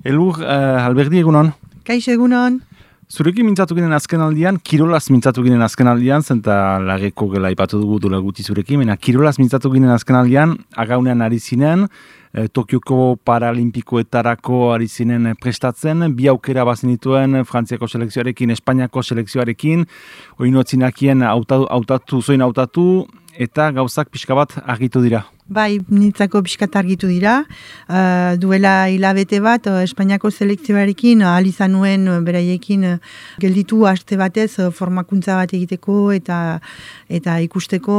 Elur, Alberdi egunon. Kaixo egunon. Zurekin mintzatu ginen azken aldian, kirolaz mintzatu ginen azken aldian, zenta lageko gela ipatu dugu dola guti zurekin, baina kirolaz mintzatu ginen azken aldian, agaunean ari zinen, Tokioko Paralimpikoetarako ari zinen prestatzen, bi aukera bazenituen Frantziako selekzioarekin, Espainiako selekzioarekin, oinoetzinakien hautatu, eta gauzak pixka bat argitu dira. Bai, nintzako pixkat argitu dira. Duela hilabete bat, Espainiako selekzioarekin izan nuen beraiekin gelditu aste batez formakuntza bat egiteko eta ikusteko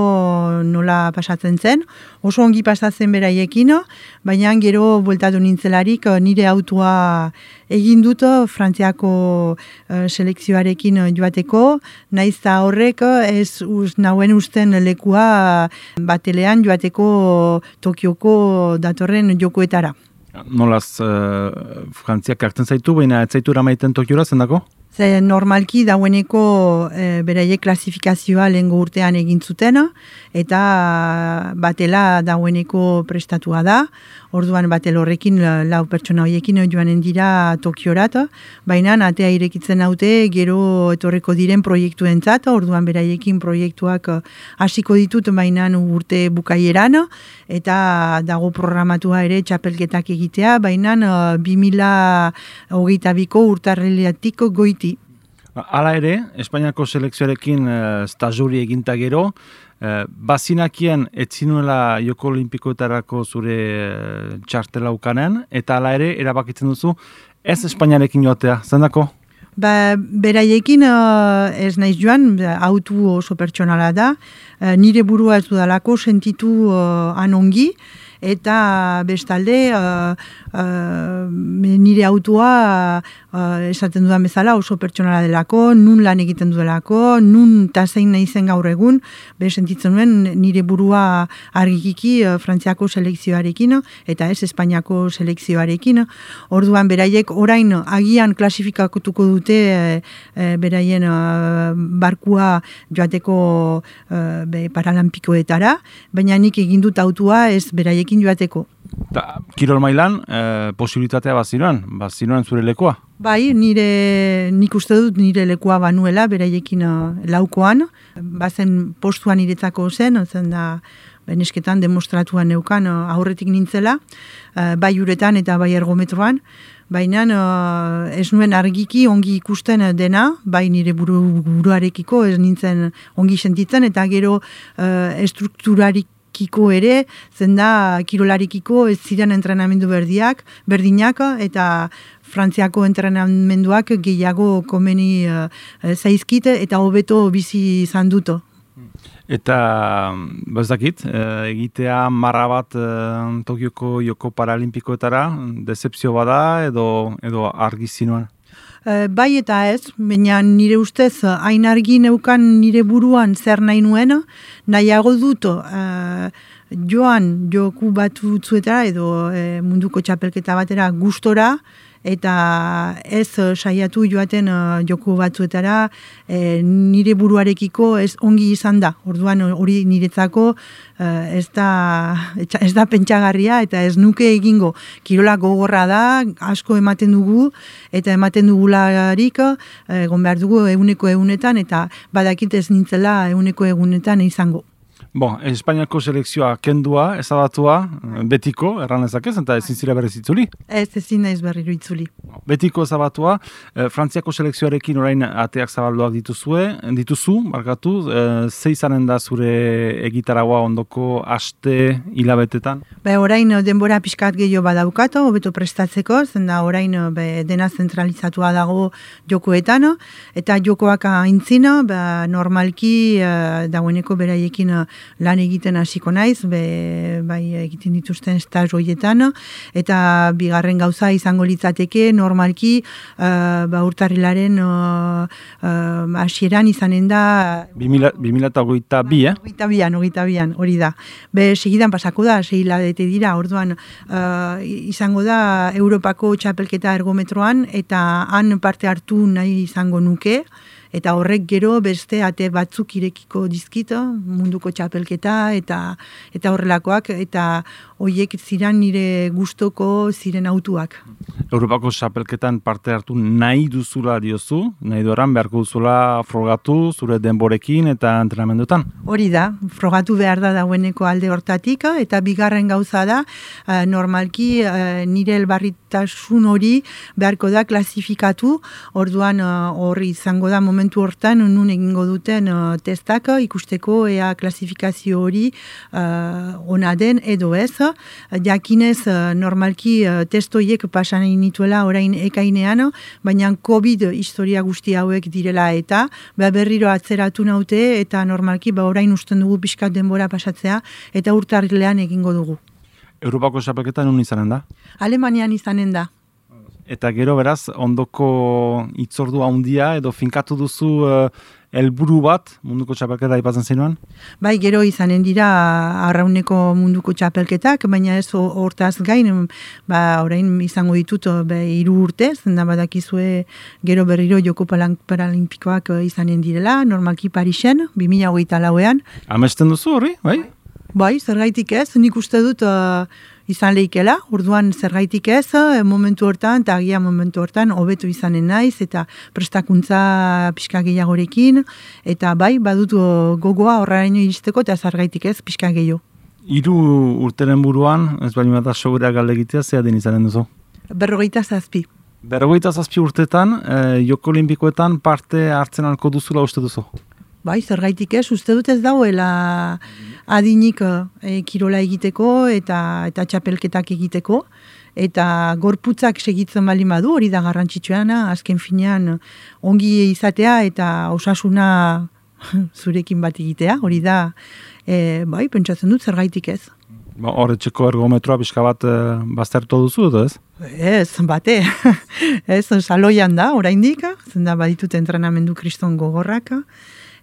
nola pasatzen zen. Oso ongi pasatzen beraiekin, baina gero bueltatu nintzelarik nire autua egin dut Frantziako selekzioarekin joateko, naiz eta horrek ez nauen usten lekua batelean joateko Tokioko datorren jokoetara. Nolaz, Frantziak hartzen zaitu, baina ez zaitu eramaiten Tokiora zendako? Normalki daueneko beraiek klasifikazioa lehengo urtean egin zuten, eta batela daueneko prestatua da. Orduan batel horrekin lau pertsona horiekin joanen dira Tokiorat, baina atea irekitzen haute gero etorreko diren proiektuentzat, orduan beraiekin proiektuak hasiko ditut baina urte bukaieran, eta dago programatua ere txapelketak egitea, baina 2022ko urtarriletik goiti. Hala ere, Espainiako selekzioarekin stajuri eginta gero, bazinakien etzinuela Joko Olimpikoetarako zure txartela ukanen, eta hala ere, erabakitzen duzu, ez Espainiarekin joatea, zendako? Beraiekin ez naiz joan, autu oso pertsonala da, nire burua ez dudalako sentitu anongi, eta bestalde nire autua esaten dudan bezala oso pertsonala delako, nun lan egiten dudelako, nun tasein nahi zen gaur egun, sentitzen nuen nire burua argikiki Frantziako selekzioarekin eta ez Espainiako selekzioarekin. Orduan beraiek orain agian klasifikatuko dute beraien barkua joateko Paralimpikoetara, baina nik egin dut autua ez beraiekin joateko. Kirol mailan, posibilitatea bazinoan zure lekoa? Bai, nik uste dut nire lekoa banuela, beraiekin laukoan, bazen postuan niretzako zen da benesketan demostratuan neukan aurretik nintzela, bai uretan eta bai ergometroan, baina ez nuen argiki ongi ikusten dena, bai nire buruarekiko ez nintzen ongi sentitzen, eta gero estrukturarik ere, zenda kirolarikiko ez ziren entrenamendu berdinak, eta Frantziako entrenamenduak gehiago komeni zaizkit, eta hobeto bizi izan duto. Eta, bezdakit, egitea marra bat Tokioko Joko Paralimpikoetara, decepzio bada edo argi zinuan? Bai eta ez, baina nire ustez hain argi neukan nire buruan zer nahi nuen, nahiago dut joan joku batzuetara edo munduko txapelketa batera gustora, eta ez saiatu joaten joku batzuetara nire buruarekiko ez ongi izan da. Orduan hori niretzako ez da pentsagarria eta ez nuke egingo. Kirola gogorra da, asko ematen dugu eta ematen dugularik egon behar dugu egunetan eta badakit ez nintzela egunetan izango. Espainiako selekzioa kendua, ezabatua, betiko, erran ezakez, eta ezin zira berriz itzuli? Ezin naiz berriro itzuli. Betiko ezabatua, Frantziako selekzioarekin orain ateak zabalduak dituzu, ze izanen da zure egitaragua ondoko aste hilabetetan? Orain denbora pixkat gehiago badaukat, hobeto prestatzeko, zenda orain dena zentralizatua dago jokoetan, eta jokoak aintzina, normalki dagoeneko beraiekin lan egiten hasiko naiz, bai egiten dituzten staz horietan, eta bigarren gauza izango litzateke normalki urtarrilaren hasieran izanen da 2022, Hogeita bian, hori da. Segidan pasako da, 6 hilabete dira, orduan izango da Europako txapelketa ergometroan, eta han parte hartu nahi izango nuke, eta horrek gero beste ate batzuk irekiko dizkito, munduko txapelketa eta horrelakoak, eta horiek ziren nire gustoko ziren autuak. Europako txapelketan parte hartu nahi duzula diozu, nahi doran beharko duzula frogatu zure denborekin eta entrenamendutan? Hori da, frogatu behar da dagoeneko alde hortatik, eta bigarren gauza da, normalki nire elbarritasun hori beharko da klasifikatu, orduan hori izango da momentu hortan nun egingo duten testak ikusteko ea klasifikazio hori ona den edo ez. Jakinez normalki testoiek pasan nituela orain ekainean, baina COVID historia guzti hauek direla eta berriro atzeratu naute eta normalki orain usten dugu pixkat denbora pasatzea eta urtarrilean egingo dugu. Europako txapelketa nun izanen da? Alemanian izanen da. Eta gero beraz, ondoko itzordu handia edo finkatu duzu helburu bat munduko txapelketa aipatzen zenuan? Bai, gero izanen dira arrauneko munduko txapelketak, baina ez hortaz gain, orain izango ditut 3 urte, zenda badakizue gero berriro joko paralimpikoak izanen direla, normalki Parisen, 2024an. Amesten duzu hori, bai? Bai, zergaitik ez, nik uste dut izan lehikela, orduan zergaitik ez, momentu hortan, eta agia momentu hortan, hobetu izanen naiz, eta prestakuntza pixka gehiagorekin, eta bai, badut gogoa horraino iristeko, eta zergaitik ez, pixka gehiago. 3 urteren buruan, ez bali bat asogura galdegitea, zea den izanen duzu? 47. 47 urtetan, Joko Olimpikoetan parte hartzen alko duzula uste duzu? Bai, zergaitik ez, uste dut ez dauela adinik kirola egiteko eta txapelketak egiteko, eta gorputzak segitzen bali badu, hori da garrantzitsuena, azken finean ongi izatea eta osasuna zurekin bat egitea, hori da, bai, pentsatzen dut zergaitik ez. Horretxeko ergometroa pixka bat baztertu duzu, edo ez? Ez, bate, ez, saloian da, oraindik, zenda baditut entrenamendu kriston gogorrak,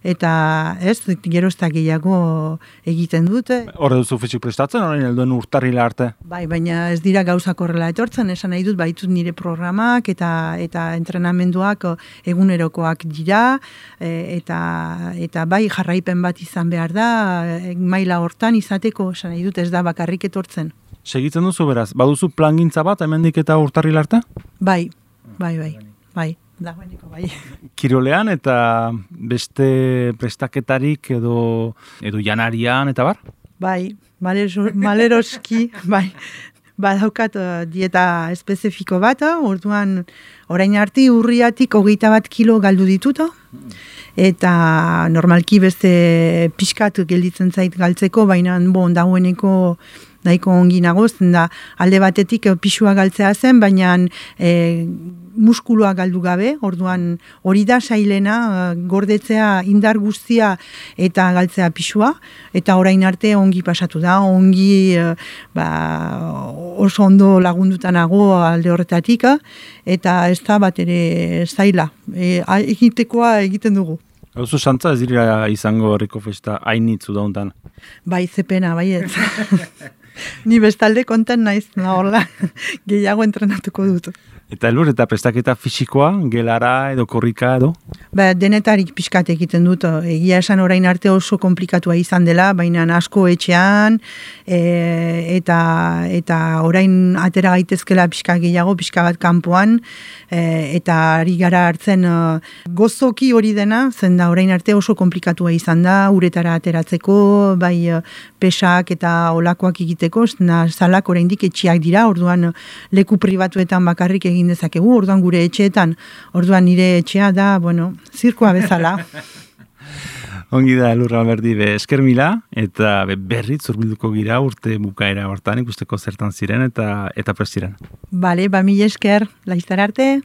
eta ez, gerozta gehiago egiten dute. Horre duzu fisik prestatzen, orain helduen urtarrila arte? Bai, baina ez dira gauzak horrela etortzen, esan nahi dut baitut nire programak eta entrenamenduak egunerokoak dira, eta bai jarraipen bat izan behar da, maila hortan izateko, esan nahi dut ez da bakarrik etortzen. Segitzen duzu beraz, baduzu plangintza bat hemendik eta urtarrila arte? Bai. Dagoeneko bai. Kirolean eta beste prestaketarik edo janarian eta bar? Bai, maleroski, bai. Badaukat dieta espezifiko bat, orduan orain arte urriatik 21 kilo galdu ditut, eta normalki beste pixkat gelditzen zait galtzeko, baina dagoeneko nahiko ongi nagoz, da alde batetik pisua galtzea zen, baina muskuloa galdu gabe, orduan hori da sailena, gordetzea indar guztia eta galtzea pisua, eta orain arte ongi pasatu da, ongi oso ondo lagundutanago alde horretatik, eta ez da bat ere zaila, egitekoa egiten dugu. Hauzu santza ez dira izango herriko festa hainitzu dauntan? Bai, zepena, bai ez. Ni bestalde konten naiz, horla, gehiago entrenatuko dut. Eta helbur eta prestaketa fisikoa, gelara edo korrika edo? Denetarik pixkat egiten dut, egia esan orain arte oso komplikatua izan dela, baina asko etxean, eta orain atera gaitezkela pixka gehiago, pixka bat kanpoan, eta ari gara hartzen gozoki hori dena, zen da orain arte oso komplikatua izan da, uretara ateratzeko, bai pesak eta olakoak egiteko, zalak oraindik etxeak dira, orduan leku pribatuetan bakarrik egin dezakegu, orduan gure etxeetan, orduan nire etxea da, zirkoa bezala. Ongi da, Elur Alberdi, esker mila, eta berrit zurbilduko gira urte bukaera hortan, ikusteko zertan ziren eta prestiren. Bale, mila esker, laiztar arte.